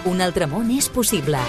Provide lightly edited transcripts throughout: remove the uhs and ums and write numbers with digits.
Un altre món és possible.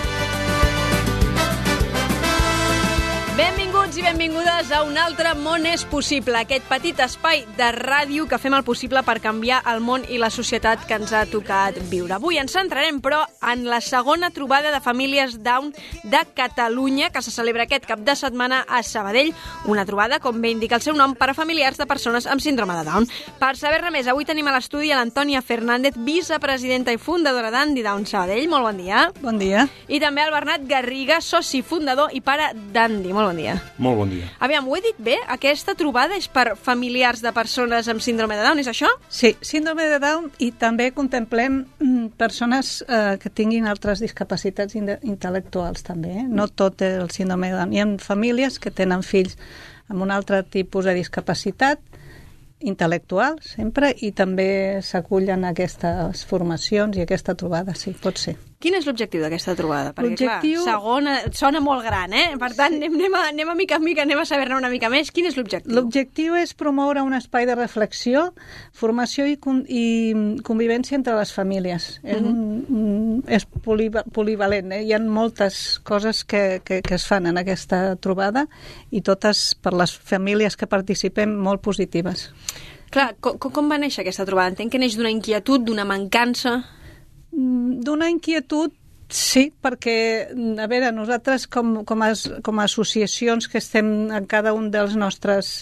Benvinguts i benvingudes a Un altre món és possible, aquest petit espai de ràdio que fem el possible per canviar el món i la societat que ens ha tocat viure. Avui ens centrarem, però, en la segona trobada de famílies Down de Catalunya, que se celebra aquest cap de setmana a Sabadell. Una trobada, com bé indica el seu nom, per a familiars de persones amb síndrome de Down. Per saber-ne més, avui tenim a l'estudi a l'Antònia Fernández, vicepresidenta i fundadora d'Andy Down Sabadell. Molt bon dia. Bon dia. I també al Bernat Garriga, soci fundador i pare d'Andy. Molt bon dia. Molt bon dia. Aviam, ho he dit bé? Aquesta trobada és per familiars de persones amb síndrome de Down, és això? Sí, síndrome de Down, i també contemplem persones que tinguin altres discapacitats intel·lectuals també. No tot el síndrome de Down. Hi ha famílies que tenen fills amb un altre tipus de discapacitat intel·lectual, sempre, i també s'acullen a aquestes formacions i aquesta trobada, sí, pot ser. Quin és l'objectiu d'aquesta trobada? Perquè, l'objectiu... clar, segona sona molt gran, eh? Per tant, anem a mica en mica, anem a saber-ne una mica més. Quin és l'objectiu? L'objectiu és promoure un espai de reflexió, formació i convivència entre les famílies. És polivalent, eh? Hi ha moltes coses que es fan en aquesta trobada i totes per les famílies que participem molt positives. Clar, com va néixer aquesta trobada? Entenc que neix d'una inquietud, d'una mancança... D'una inquietud, sí, perquè, a veure, nosaltres com a associacions que estem en cada un dels nostres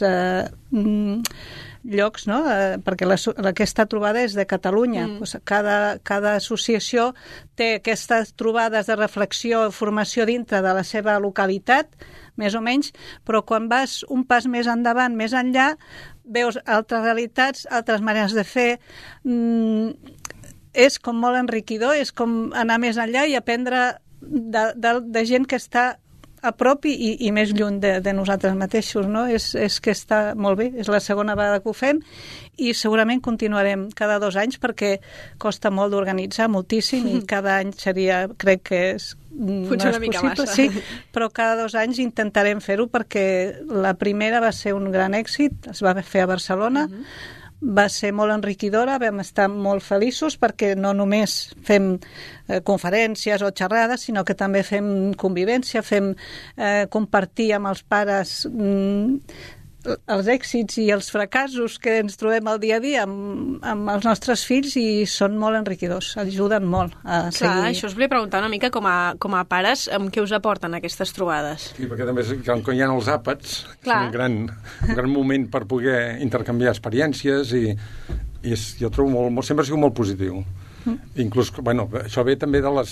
llocs, no? Perquè aquesta trobada és de Catalunya. Pues cada associació té aquestes trobades de reflexió i formació dintre de la seva localitat, més o menys, però quan vas un pas més endavant, més enllà, veus altres realitats, altres maneres de fer... És com molt enriquidor, és com anar més enllà i aprendre de gent que està a prop i més lluny de nosaltres mateixos, no? És que està molt bé, és la segona vegada que ho fem i segurament continuarem cada 2 anys perquè costa molt d'organitzar, moltíssim, i cada any seria, crec que no és possible, sí, però cada 2 anys intentarem fer-ho perquè la primera va ser un gran èxit, es va fer a Barcelona, va ser molt enriquidora, vam estar molt feliços perquè no només fem conferències o xerrades, sinó que també fem convivència, fem compartir amb els pares els èxits i els fracassos que ens trobem al dia a dia amb els nostres fills i són molt enriquidors, ajuden molt a seguir. Clar, això us volia preguntar una mica com a pares, amb què us aporten aquestes trobades? Sí, perquè també quan hi ha els àpats, és un gran moment per poder intercanviar experiències i jo trobo sempre ha sigut molt positiu. Inclús, bueno, això ve també de les...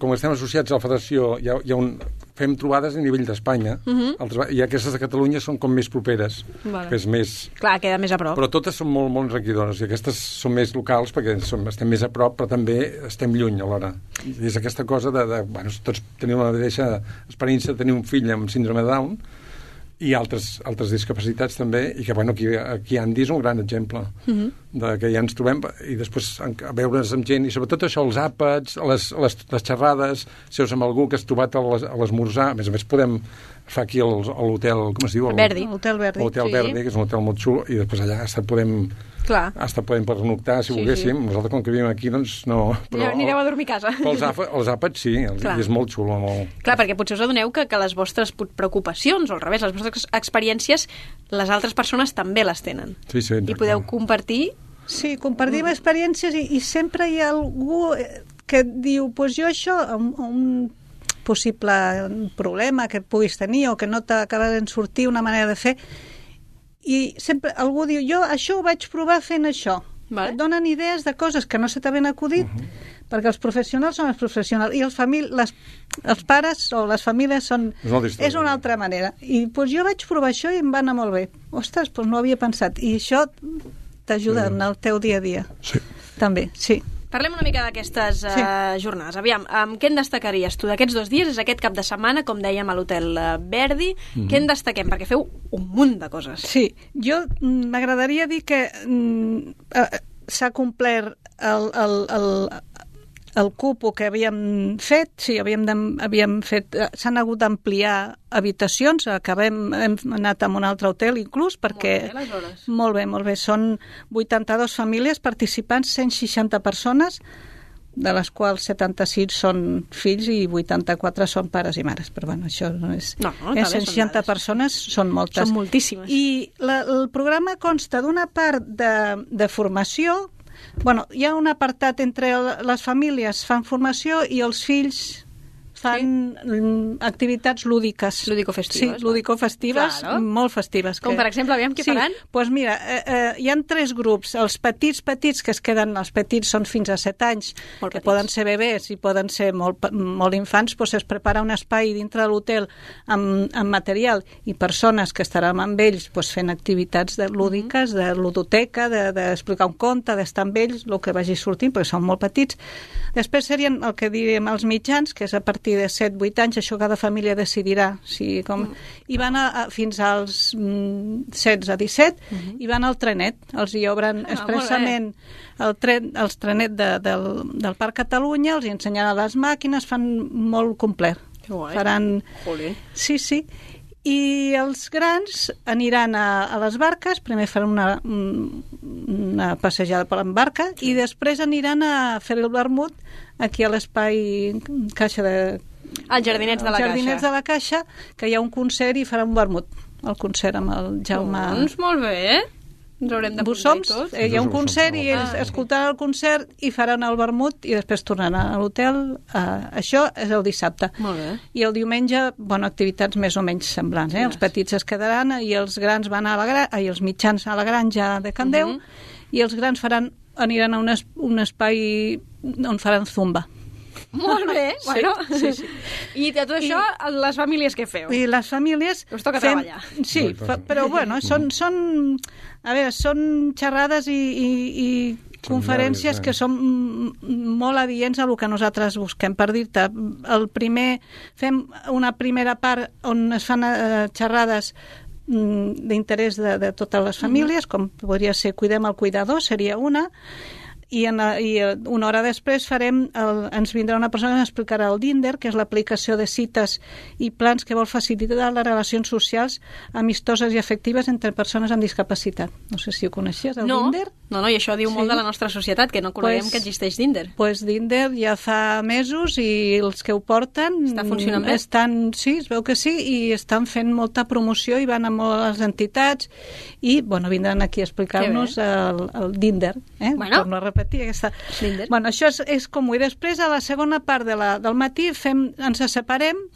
com estem associats a la federació, fem trobades a nivell d'Espanya, i aquestes de Catalunya són com més properes, que és més... Clar, queda més a prop. Però totes són molt, molt enriquidores, i aquestes són més locals perquè estem més a prop, però també estem lluny alhora. I és aquesta cosa bueno, tots tenim la mateixa experiència de tenir un fill amb síndrome de Down, i altres discapacitats també, i que bueno, aquí Andy és un gran exemple de que ja ens trobem, i després a veure's amb gent, i sobretot això, els àpats, les xerrades, seus amb algú que has trobat a l'esmorzar, a més podem fa aquí a l'hotel, com es diu? Verdi. L'Hotel Verdi. L'Hotel Verdi, que és un hotel molt xulo, i després allà podem pernoctar, si volguéssim. Nosaltres, com que vivim aquí, doncs no... Però anireu a dormir a casa. Però els àpats, sí, és molt xulo. Clar, perquè potser us adoneu que les vostres preocupacions, o al revés, les vostres experiències, les altres persones també les tenen. Sí, i podeu compartir... Sí, compartim experiències i sempre hi ha algú que diu, pues jo això, un possible problema que puguis tenir o que no t'acaba de sortir una manera de fer, i sempre algú diu, jo això ho vaig provar fent això. Et donen idees de coses que no se t'havien acudit, perquè els professionals són els professionals i els pares o les famílies són... És una altra manera. I doncs jo vaig provar això i em va anar molt bé. Ostres, doncs no ho havia pensat. I això t'ajuda en el teu dia a dia. Sí. També, sí. Parlem una mica d'aquestes jornades. Aviam, què en destacaries tu d'aquests 2 dies? És aquest cap de setmana, com dèiem, a l'Hotel Verdi. Què en destaquem? Perquè feu un munt de coses. Sí, jo m'agradaria dir que s'ha complert el cupo que havíem fet, sí, havíem fet, s'han hagut d'ampliar habitacions, hem anat a un altre hotel inclús, perquè... Molt bé, són 82 famílies participants, 160 persones, de les quals 76 són fills i 84 són pares i mares. Però bueno, això no és... No, 160 persones són moltes. Són moltíssimes. I el programa consta d'una part de formació. Bueno, hi ha un apartat entre les famílies fan formació i els fills fan activitats lúdiques. Lúdico-festives. Sí, lúdico-festives, claro. Molt festives. Com per exemple, aviam què faran? Doncs mira, hi ha 3 grups. Els petits que es queden, els petits són fins a 7 anys, Molt que petits. poden ser bebès i poden ser molt infants, doncs es prepara un espai dintre de l'hotel amb material i persones que estaran amb ells doncs fent activitats lúdiques, de ludoteca, d'explicar un conte, d'estar amb ells, el que vagi sortint, perquè són molt petits. Després serien el que diríem els mitjans, que és a partir de 7-8 anys, això cada família decidirà. I van fins als 16 a 17 i van al trenet. Els hi obren expressament els trenet del Parc Catalunya, els hi ensenyaran les màquines, fan molt complet. Que guai. Faran... Jolín. Sí. I els grans aniran a les barques, primer faran una passejada per la barca i després aniran a fer el vermut aquí a l'espai Caixa de... Els Jardinets de la Caixa. Els Jardinets de la Caixa, que hi ha un concert i farà un vermut, el concert amb el Jaume... Doncs molt bé, ens haurem de posar i tot. Hi ha un concert i ells escoltaran el concert i faran el vermut i després tornaran a l'hotel. Això és el dissabte. Molt bé. I el diumenge, activitats més o menys semblants. Els petits es quedaran i els grans van els mitjans a la granja de Can Déu i els grans aniran a un espai on faran zumba. Molt bé, bueno. Sí. I de tot això, les famílies què feu? I les famílies... Us toca treballar. Sí, però bueno, són xerrades i conferències que són molt adients a el que nosaltres busquem. Per dir-te, fem una primera part on es fan xerrades d'interès de totes les famílies, com podria ser Cuidem el cuidador, seria una, i una hora després ens vindrà una persona que ens explicarà el Dinder, que és l'aplicació de cites i plans que vol facilitar les relacions socials amistoses i afectives entre persones amb discapacitat. No sé si ho coneixies, el Dinder? No, i això diu molt de la nostra societat, que no coneguem que existeix Dinder. Doncs Dinder ja fa mesos i els que ho porten... Està funcionant bé? Sí, es veu que sí, i estan fent molta promoció i van a moltes entitats i, vindran aquí a explicar-nos el Dinder. Torno a repetir aquesta... Bueno, això és comú. I després, a la segona part del matí, ens separem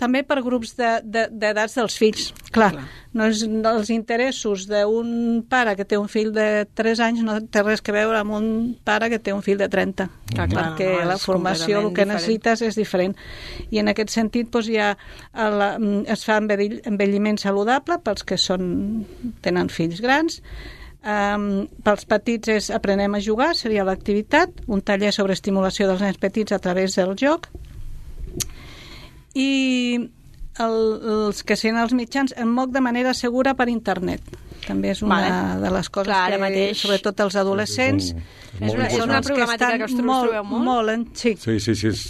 també per grups d'edats dels fills. Clar, no és els interessos d'un pare que té un fill de 3 anys no té res que veure amb un pare que té un fill de 30. Perquè la formació, el que necessites és diferent. I en aquest sentit es fa envelliment saludable pels que tenen fills grans. Pels petits aprenem a jugar, seria l'activitat, un taller sobre estimulació dels nens petits a través del joc, i els que siguin els mitjans en moc de manera segura per internet. També és una de les coses que, sobretot els adolescents, és una problemàtica que us trobeu molt? Sí.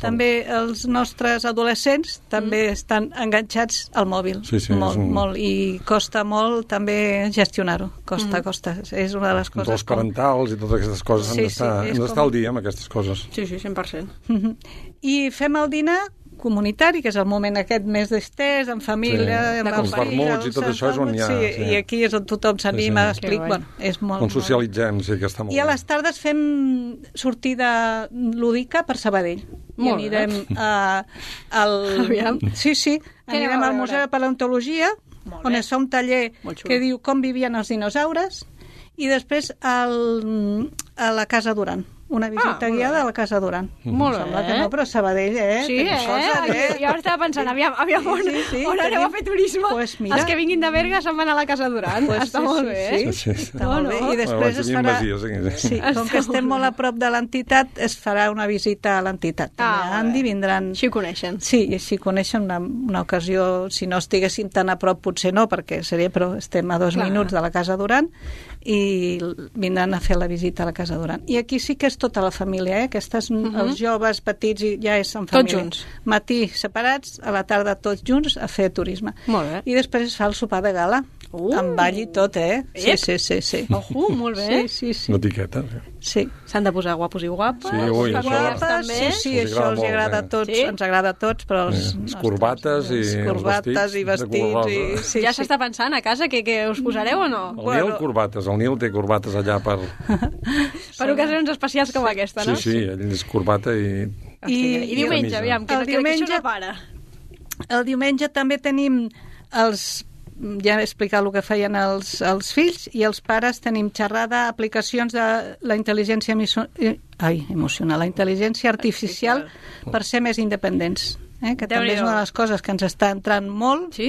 També els nostres adolescents també estan enganxats al mòbil. Molt, i costa molt també gestionar-ho. Costa. És una de les coses... Els parentals i totes aquestes coses han d'estar al dia amb aquestes coses. Sí, 100%. I fem el dinar comunitari, que és el moment aquest més d'estès, en família, els vermuts i tot això és on hi ha... I aquí és on tothom s'anima a explicar. És molt... On socialitzem, sí, que està molt bé. I a les tardes fem sortida lúdica per Sabadell. I anirem al... Sí. Anirem al Museu de Paleontologia, on es fa un taller que diu com vivien els dinosaures, i després a la Casa Duran. Una visita guiada a la Casa Duran. Molt bé. Que no, però Sabadell, Sí, jo estava pensant, aviam on aneu a fer turisme? Els que vinguin de Berga se'n van a la Casa Duran. Està molt bé. Sí, està molt bé. I després es farà... Com que estem molt a prop de l'entitat, es farà una visita a l'entitat. Andi vindran... Així ho coneixen. Sí, i així coneixen una ocasió, si no estiguéssim tan a prop, potser no, perquè seria, però estem a 2 minuts de la Casa Duran i vindran a fer la visita a la Casa Duran. I aquí sí que és tota la família, els joves petits ja és en família. Tots junts. Matí separats, a la tarda tots junts a fer turisme. Molt bé. I després es fa el sopar de gala, Amb ball i tot, Sí. Molt bé. Sí. Una etiqueta. Sí. S'han de posar guapos i guapes. Sí, ui, això... Guapes, sí, això els agrada a tots, ens agrada a tots, però els corbates i vestits. Ja s'està pensant a casa que us posareu o no? El Nil, corbates. El Nil té corbates allà per... Per ocasions especials com aquesta, no? Sí, ell és corbata i... I diumenge, aviam, que això no para. El diumenge també tenim els... Ja he explicat el que feien els fills, i els pares tenim xerrada, aplicacions de la intel·ligència emocional, la intel·ligència artificial per ser més independents. Que també és una de les coses que ens està entrant molt. Sí?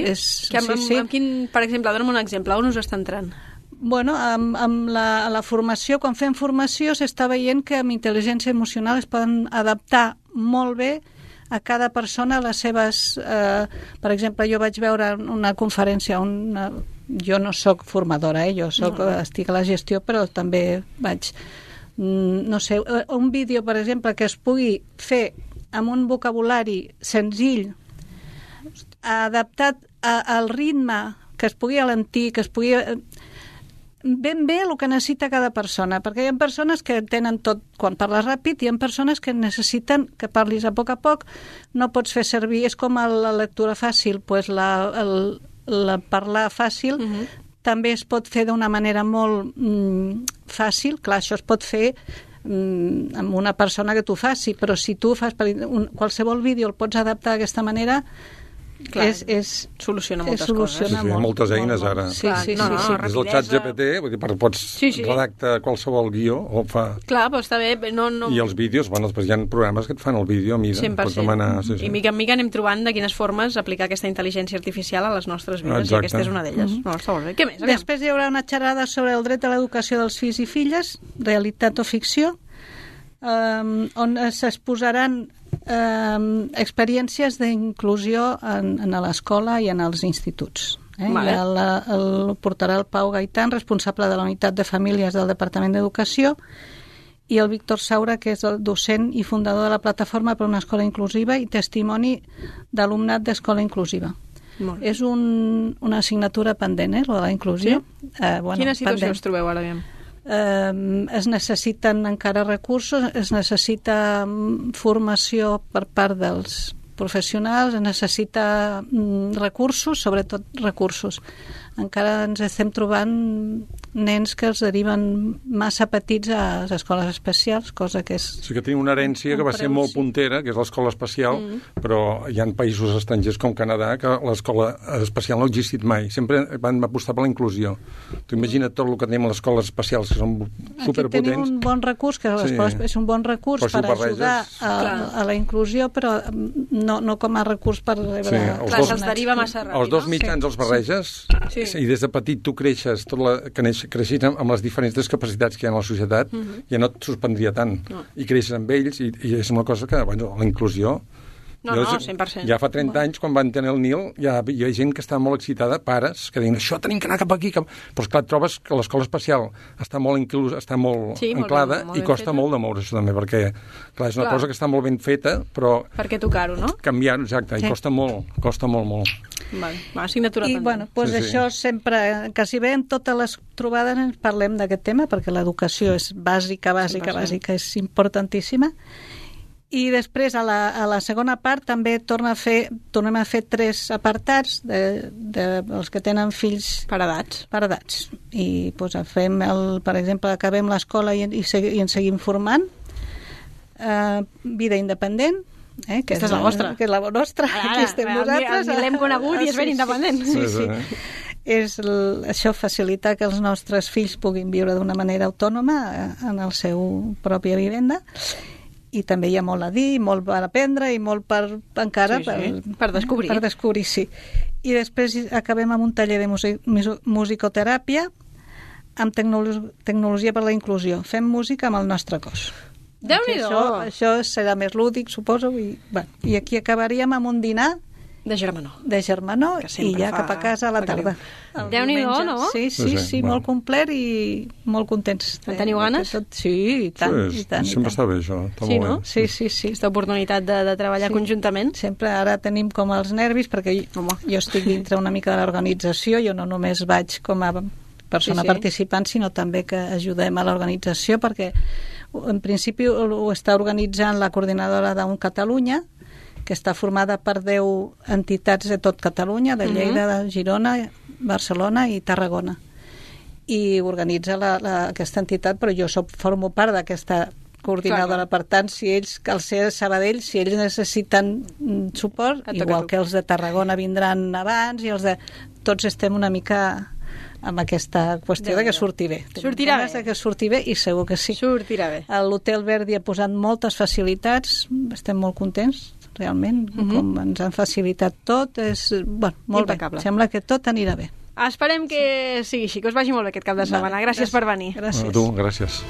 Amb quin, per exemple, dona'm un exemple, on us està entrant? Bueno, amb la formació, quan fem formació, s'està veient que amb intel·ligència emocional es poden adaptar molt bé a cada persona les seves... per exemple, jo vaig veure una conferència, jo no sóc formadora, estic a la gestió, però també vaig... No sé, un vídeo, per exemple, que es pugui fer amb un vocabulari senzill, adaptat al ritme, que es pugui alentir, que es pugui... ben bé el que necessita cada persona, perquè hi ha persones que tenen tot quan parles ràpid i hi ha persones que necessiten que parlis a poc, no pots fer servir, és com la lectura fàcil, pues la parlar fàcil també es pot fer d'una manera molt fàcil, clar, això es pot fer amb una persona que t'ho faci, però si tu fas qualsevol vídeo el pots adaptar d'aquesta manera, clar, soluciona moltes coses. Hi ha moltes eines ara. Sí. Des del xat GPT, vull dir, pots redactar qualsevol guió o fa... Clar, però està bé. I els vídeos, bueno, després hi ha programes que et fan el vídeo a mida. 100%. Pots demanar... I mica en mica anem trobant de quines formes aplicar aquesta intel·ligència artificial a les nostres vides, i aquesta és una d'elles. No, està molt bé. Què més? Després hi haurà una xerrada sobre el dret a l'educació dels fills i filles, realitat o ficció, on s'exposaran experiències d'inclusió a l'escola i en els instituts. El portarà el Pau Gaitán, responsable de la unitat de famílies del Departament d'Educació, i el Víctor Saura, que és el docent i fundador de la plataforma per una escola inclusiva i testimoni d'alumnat d'escola inclusiva. És una assignatura pendent, lo de la inclusió. Sí? Quina situació us trobeu ara, aviam? Es necessiten encara recursos, es necessita formació per part dels professionals, es necessita recursos, sobretot recursos. Encara ens estem trobant nens que els deriven massa petits a les escoles especials, cosa que és... Sí que tenim una herència que va ser molt puntera, que és l'escola especial, però hi ha països estrangers com Canadà que l'escola especial no ha existit mai. Sempre van apostar per la inclusió. Tu imagina't tot el que tenim a les escoles especials, que són superpotents. Aquí tenim un bon recurs, que l'escola és un bon recurs per ajudar a la inclusió, però no com a recurs per rebre... Clar, se'ls deriva massa ràpid. Els dos mitjans els barreges, i des de petit tu creixes, creixis amb les diferents discapacitats que hi ha a la societat, ja no et sorprendria tant. I creixes amb ells, i és una cosa que, bueno, la inclusió... No, 100%. Ja fa 30 anys, quan van tenir el Nil, hi havia gent que estava molt excitada, pares, que deien, això tenim que anar cap aquí. Però, esclar, trobes que l'escola especial està molt anclada i costa molt de moure això també, perquè, clar, és una cosa que està molt ben feta, però... Per què tocar-ho, no? Canviar-ho, exacte, i costa molt. Assignatura pendent. I, bueno, doncs això sempre, quasi bé en totes les trobades ens parlem d'aquest tema, perquè l'educació és bàsica, és importantíssima. I després, a la segona part, també tornem a fer 3 apartats dels que tenen fills per edats. I doncs, per exemple, acabem l'escola i ens seguim formant. Vida independent, que aquesta és la vostra. Que és la nostra. Aquí estem nosaltres. L'hem conegut i és ben independent. Sí. Això facilita que els nostres fills puguin viure d'una manera autònoma en el seu pròpia vivenda. I també hi ha molt a dir, molt per aprendre i molt per descobrir. Per descobrir, sí. I després acabem amb un taller de musicoteràpia amb tecnologia per la inclusió. Fem música amb el nostre cos. Déu-n'hi-do! Això serà més lúdic, suposo. I aquí acabaríem amb un dinar De germanor. I ja cap a casa a la tarda. Déu-n'hi-do, no? Sí, molt complet i molt contents. En teniu ganes? Sí, i tant. Sempre està bé, això. Sí, no? Sí. Aquesta oportunitat de treballar conjuntament. Sempre ara tenim com els nervis, perquè jo estic dintre una mica de l'organització, jo no només vaig com a persona participant, sinó també que ajudem a l'organització, perquè en principi ho està organitzant la coordinadora d'UN Catalunya, que està formada per 10 entitats de tot Catalunya, de Lleida, de Girona, Barcelona i Tarragona. I organitza aquesta entitat, però jo formo part d'aquesta coordinadora. Per tant, si ells, al ser Sabadell, si ells necessiten suport, igual que els de Tarragona vindran abans, i els de... Tots estem una mica amb aquesta qüestió de que surti bé. Sortirà bé. De que surti bé, i segur que sí. Sortirà bé. L'Hotel Verdi ha posat moltes facilitats, estem molt contents, realment, com ens han facilitat tot, és molt impecable. Sembla que tot anirà bé. Esperem que sigui així, que us vagi molt bé aquest cap de setmana. Gràcies per venir. Gràcies. A tu, gràcies.